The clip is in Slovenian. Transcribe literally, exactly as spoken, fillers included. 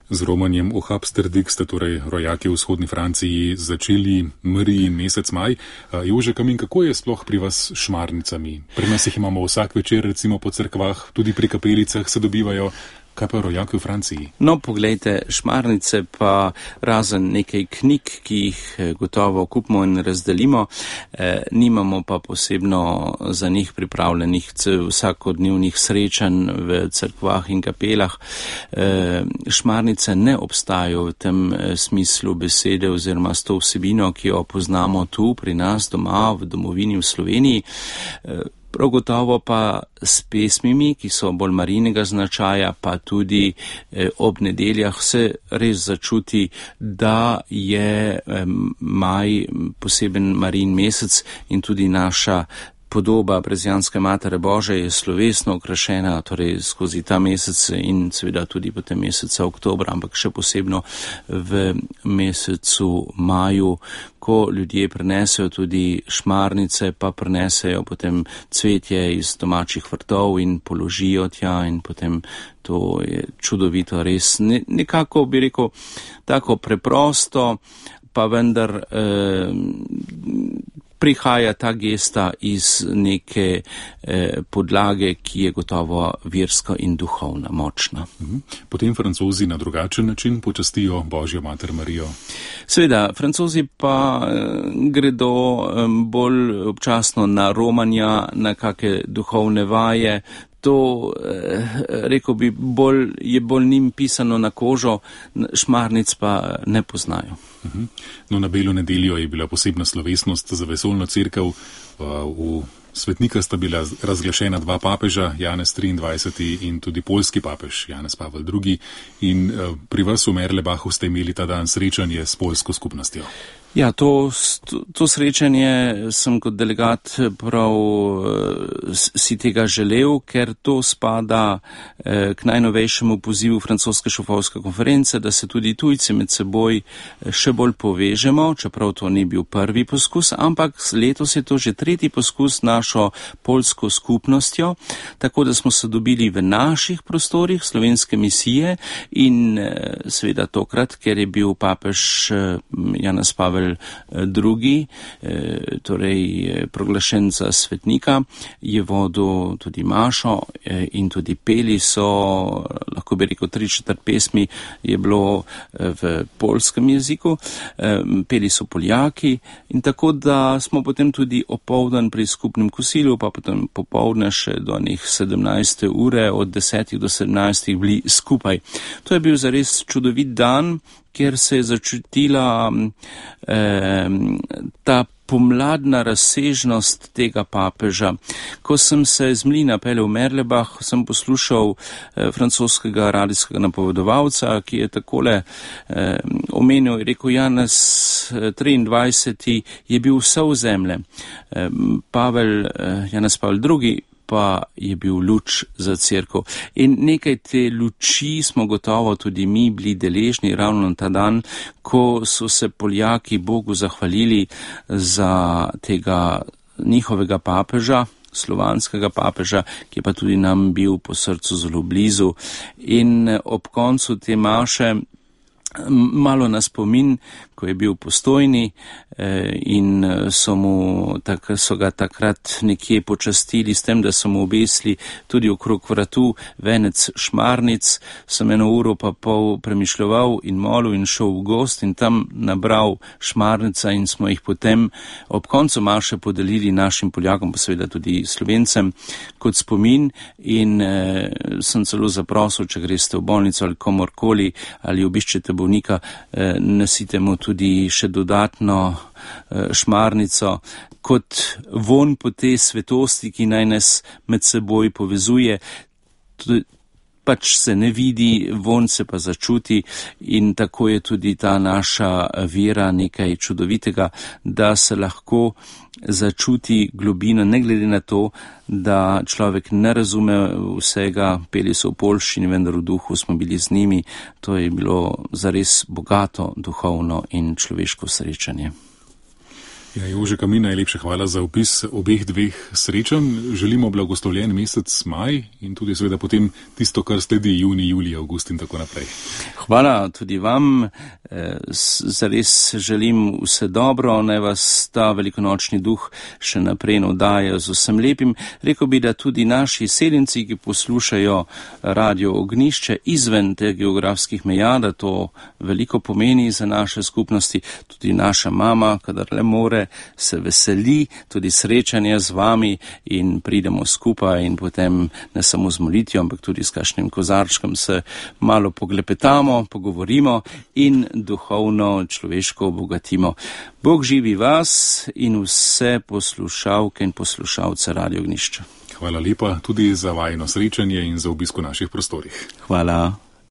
Z romanjem O Habsterdik ste torej rojaki v vzhodni Franciji začeli Marijin mesec maj. Jože Kamin, kako je sploh pri vas s šmarnicami? Pri nas jih imamo vsak večer, recimo po cerkvah, tudi pri kapelicah se dobivajo. Kaj pa rojaki v Franciji? No, poglejte, šmarnice pa razen nekaj knjig, ki jih gotovo kupimo in razdelimo, eh, nimamo pa posebno za njih pripravljenih vsakodnevnih srečanj v cerkvah in kapelah. Eh, šmarnice ne obstajajo v tem smislu besede oziroma s to vsebino, ki jo poznamo tu pri nas doma, v domovini v Sloveniji. Eh, Prav gotovo pa s pesmimi, ki so bolj marijinega značaja, pa tudi eh, ob nedeljah se res začuti, da je eh, maj poseben Marijin mesec in tudi naša podoba Brezijanske Matere Božje je slovesno okrašena, torej skozi ta mesec in seveda tudi potem meseca oktobra, ampak še posebno v mesecu maju, ko ljudje prinesejo tudi šmarnice, pa prinesejo potem cvetje iz domačih vrtov in položijo tja in potem to je čudovito, res ne, nekako bi rekel tako preprosto, pa vendar eh, prihaja ta gesta iz neke eh, podlage, ki je gotovo verska in duhovna, močna. Potem Francozi na drugačen način počastijo Božjo mater Marijo. Seveda, Francozi pa eh, gredo eh, bolj občasno na romanja, na kakšne duhovne vaje. To, eh, rekel bi, bolj, je bolj njim pisano na kožo, šmarnic pa ne poznajo. Uh-huh. No, na Belo nedeljo je bila posebna slovesnost za vesoljno cerkev. V svetnika sta bila razglašena dva papeža, Janez triindvajseti in tudi poljski papež, Janez Pavel drugi. In pri vas v Merlebachu ste imeli ta dan srečanje s poljsko skupnostjo. Ja, to, to, to srečanje sem kot delegat prav si tega želel, ker to spada eh, k najnovejšemu pozivu francoske šofovske konference, da se tudi tujci med seboj še bolj povežemo, čeprav to ni bil prvi poskus, ampak letos je to že tretji poskus našo poljsko skupnostjo, tako da smo se dobili v naših prostorih slovenske misije in eh, seveda tokrat, ker je bil papež eh, Janez Pavel drugi, torej proglašen za svetnika, je vodil tudi mašo in tudi peli so, lahko bi rekel, tri četrt pesmi je bilo v poljskem jeziku, peli so Poljaki in tako, da smo potem tudi opoldan pri skupnem kosilu, pa potem popoldne še do njih sedemnajste ure, od desetih do sedemnajstih bili skupaj. To je bil zares čudovit dan, kjer se je začutila eh, ta pomladna razsežnost tega papeža. Ko sem se z Mlina peljal v Merlebach, sem poslušal eh, francoskega radijskega napovedovalca, ki je takole eh, omenil, rekel, Janez triindvajseti je bil vse v zemlje. Eh, Pavel, eh, Janez Pavel drugi pa je bil luč za cerkev. In nekaj te luči smo gotovo tudi mi bili deležni ravno na ta dan, ko so se Poljaki Bogu zahvalili za tega njihovega papeža, slovanskega papeža, ki je pa tudi nam bil po srcu zelo blizu. In ob koncu te maše malo na spomin, ko je bil Postojni in so, mu, tak, so ga takrat nekje počastili s tem, da so mu obesili tudi okrog vratu venec šmarnic, sem eno uro pa pol premišljeval in molil in šel v gost in tam nabral šmarnica in smo jih potem ob koncu maše podelili našim Poljakom, pa seveda tudi Slovencem, kot spomin in eh, sem celo zaprosil, če greste v bolnico ali komorkoli ali obiščete bolnika, eh, nosite mu tudi še dodatno šmarnico, kot von po tej svetosti, ki naj nas med seboj povezuje. Pač se ne vidi, von se pa začuti in tako je tudi ta naša vera nekaj čudovitega, da se lahko začuti globina, ne glede na to, da človek ne razume vsega, peli so v poljščini, vendar v duhu smo bili z njimi. To je bilo zares bogato duhovno in človeško srečanje. Ja, Jože Kamin, najlepša hvala za opis obeh dveh srečanj. Želimo blagoslovljen mesec maj in tudi seveda potem tisto, kar sledi juni, julij, avgust in tako naprej. Hvala tudi vam. Zares želim vse dobro, naj vas ta velikonočni duh še naprej navdaja z vsem lepim. Rekel bi, da tudi naši seljenci, ki poslušajo Radio Ognjišče izven teh geografskih meja, da to veliko pomeni za naše skupnosti. Tudi naša mama, kadar le more, se veseli tudi srečanja z vami in pridemo skupaj in potem ne samo z molitvijo, ampak tudi s kakšnim kozarčkom se malo poglepetamo, pogovorimo in duhovno človeško obogatimo. Bog živi vas in vse poslušalke in poslušalce Radio Ognjišča. Hvala lepa tudi za vajino srečanje in za obisko naših prostorih. Hvala.